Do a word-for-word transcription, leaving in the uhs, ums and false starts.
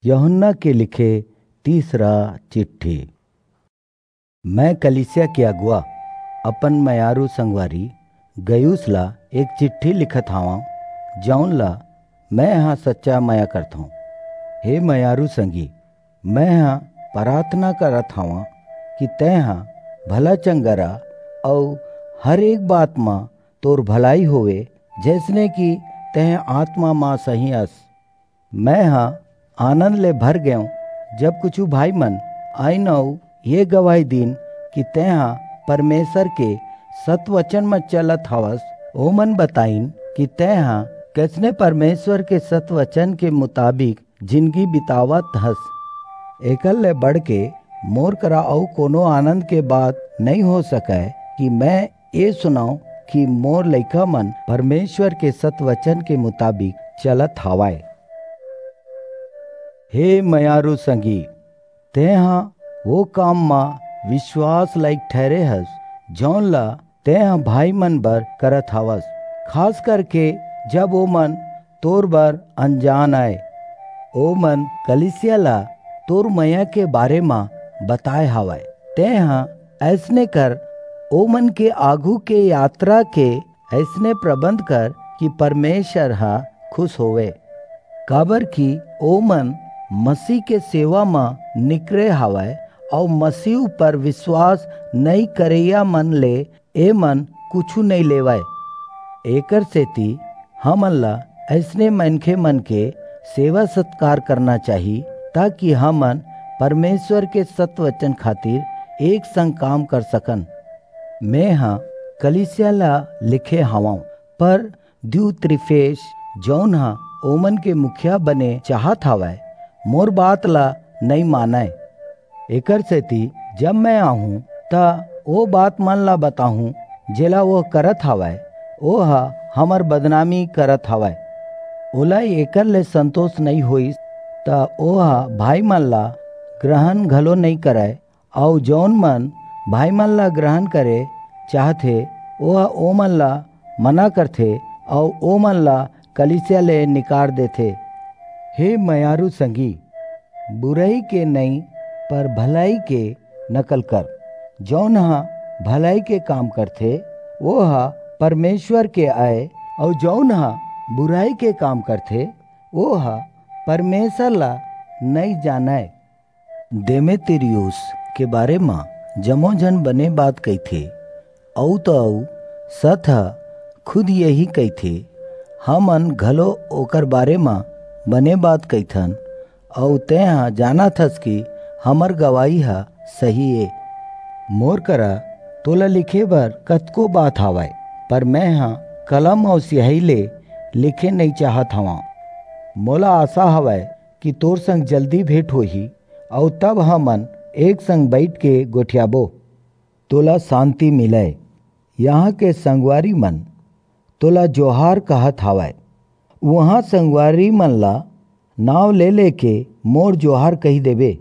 यूहन्ना के लिखे तीसरा चिट्ठी। मैं कलीसिया के अगुवा, अपन मयारू संगवारी गयुस ला एक चिट्ठी लिखत हावं, जौन ला मैं ह सच्चा मया करथौं। हे मयारू संगी, मैं ह प्रार्थना करत हावं कि तैं ह भला चंगा रह अऊ हर एक बात म तोर भलाई होवे, जैसने कि तैं आत्मा म सही अस। मैं ह आनंद ले भर गेंव, जब कुछू भाई मन आइन अऊ ये गवाही दीन कि तैं ह परमेसर के सतवचन म चलत हवस। ओमन बताइन कि तैं ह कइसने परमेसर के सतवचन के मुताबिक जिनगी बितावत हस। एकर ले बढ़के मोर करा अऊ कोनो आनंद के बात नइं हो सकय कि मैं ए सुनंव कि मोर लइका मन परमेसर के सतवचन के मुताबिक चलत हवंय। हे मयारू संगी, तैं ह ओ काम म बिसवास लाइक ठहिरे हस, जौन ला तैं ह भाई मन बर करत हवस, खास करके जब ओमन तोर बर अनजान अय। ओमन कलीसिया ला तोर मया के बारे म बताय हवंय। तैं ह अइसने कर, ओमन के आघू के यातरा के अइसने प्रबंध कर कि परमेसर ह खुस होवय, काबरकि ओमन मसीह के सेवा म निकरे हवंय अऊ मसीह ऊपर बिसवास नइं करइया मन ले एमन कुछू नइं लेवंय। एकरसेति हमन ला अइसने मनखे मन के सेवा-सतकार करना चाही, ताकि हमन परमेसर के सतवचन खातिर एक संग काम कर सकन। मैं ह कलीसिया ला लिखे हवंव, पर दियुत्रिफेस, जऊन ह ओमन के मुखिया बने चाहत हवय, मोर बात ला नइं मानय। एकरसेति जब मैं आहूं, त ओ बात मन ला बताहूं, जेला ओह करत हवय, ओह हमर बदनामी करत हवय। ओला एकर ले संतोष नइं होईस, त ओह भाई मन ला ग्रहण घलो नइं करय, अऊ जऊन मन भाई मन ला ग्रहण करे चाहथे, ओह ओमन ला मना करथे अऊ ओमन ला कलीसिया ले निकार देथे। हे मयारू संगी, बुरई के नइं, पर भलई के नकल कर। जऊन ह भलई के काम करथे, ओह परमेसर के अय, अऊ जऊन ह बुरई के काम करथे, ओह परमेसर ला नइं जानय। देमेत्रियुस के बारे म जम्मो झन बने बात कहिथे, अऊ त अऊ सत ह खुद यही कहिथे, हमन घलो ओकर बारे म बने बात कहिथन, अऊ तैं ह जानत हस कि हमर गवाही ह सही ए। मोर करा तोला लिखे बर कतको बात हवय, पर मैं ह कलम अऊ सियाही ले लिखे नइं चाहत हवं। मोला आसा हवय कि तोर संग जल्दी भेंट होही, अऊ तब हमन एक संग बईठ के गोठियाबो। तोला सांति मिलय। इहां के संगवारी मन तोला जोहार कहत हवंय। उहां संगवारी मन ला नांव ले लेके मोर जोहार कहि देबे।